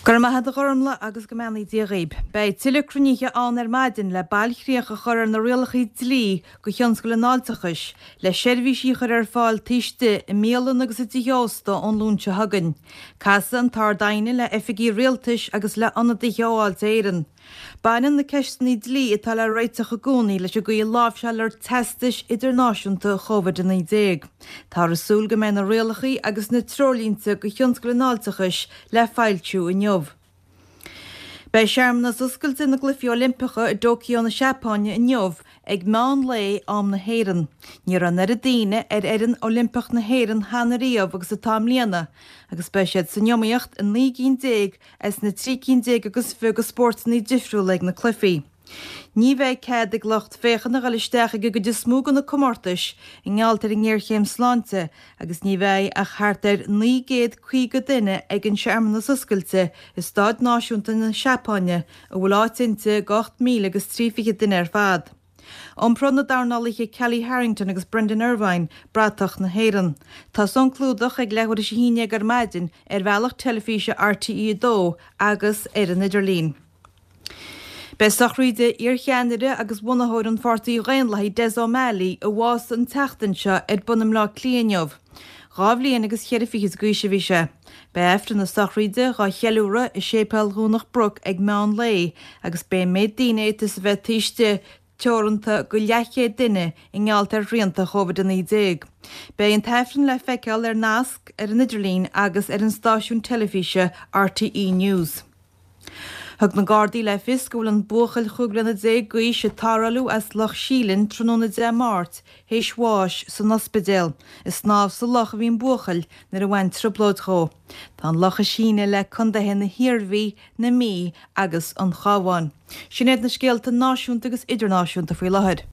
Go raibh maith agat a Ghormlaith agus go mbeannaí Dia dhaoib. Beidh tuilleadh cruinnithe ann ar maidin le bailchríoch a chur ar na rialacha dlí do thionscal an fháilteachais le seirbhísí a chur ar fáil taobh istigh i mbialanna agus i dtithe ósta ón Luan seo chugainn. Casfaidh an tArd-Aighne le oifigigh rialtais agus le hionadaithe ó Fháilte Éireann. Baineann na ceisteanna dlí atá le réiteach i gcónaí leis an gcaoi a láimhseáiltear teastais idirnáisiúnta Covid-19. Táthar ag súil go mbeidh na rialacha agus na treoirlínte do thionscal an fháilteachais le foilsiú inniu. Beidh searmanas oscailte na gCluichí Oilimpeacha i dTóiceo na Seapáine inniu ag meán lae, am na hÉireann. Ní raibh an oiread daoine ar fhoireann Oilimpeach na hÉireann cheana riamh agus atá i mbliana agus beidh siad san iomaíocht i 19 gcinn as na 13 cinn agus 20 de spórtanna difriúla ag na cluichí. Ní bheidh cead ag lucht féachana a dhul isteach ag an gcuid is mó de na comórtais i ngeall ar an ngéarchéim sláinte agus ní bheidh ach thart ar 950 duine ag an searmanas oscailte i Staid Náisiúnta na Seapáine a bhfuil áit inti do 8,000 agus 3 fichid duine ar fad. Iompróidh na dornálaithe Kellie Harrington agus Brendan Irvine bratach na hÉireann. Tosóidh an clúdach ag leathuair théis a haon déag ar maidin ar bhealach teilifíse RTÉ 2 agus ar an idirlíon. Beidh sochraíd iarcheannaire agus bhunaitheoir an Pháirtí Dhaonlathaigh Des O'Malley, a bhásaigh an tseachtain seo, ar bun i mBleá Cliath inniu. Dhá bhliain agus cheithre fichid d'aois a bhí sé. Beidh Aifreann na sochraíde dhá cheiliúradh i Séipéal Dhomhnach Broc ag meán lae agus beidh an méid daoine a fhéadfas a bheith taobh istigh teoranta go leathchéad duine i ngeall ar shrianta Covid-19. Beidh an tAifreann le feiceáil ar nasc ar an idirlíon agus ar an stáisiún teilifíse RTÉ News. Thug na Gardaí le fios go bhfuil an buachaill 15 bliana d'aois a tarrtháladh as Loch Síleann tráthnóna Dé Máirt théis bháis san ospidéal. Ag snámh sa loch a bhí an buachaill nuair a bhain trioblóid dhó. Tá an loch ag síneadh le contaetha na hIarmhí, na Mí agus an Chabháin. Sin iad na scéalta náisiúnta agus idirnáisiúnta faoi láthair.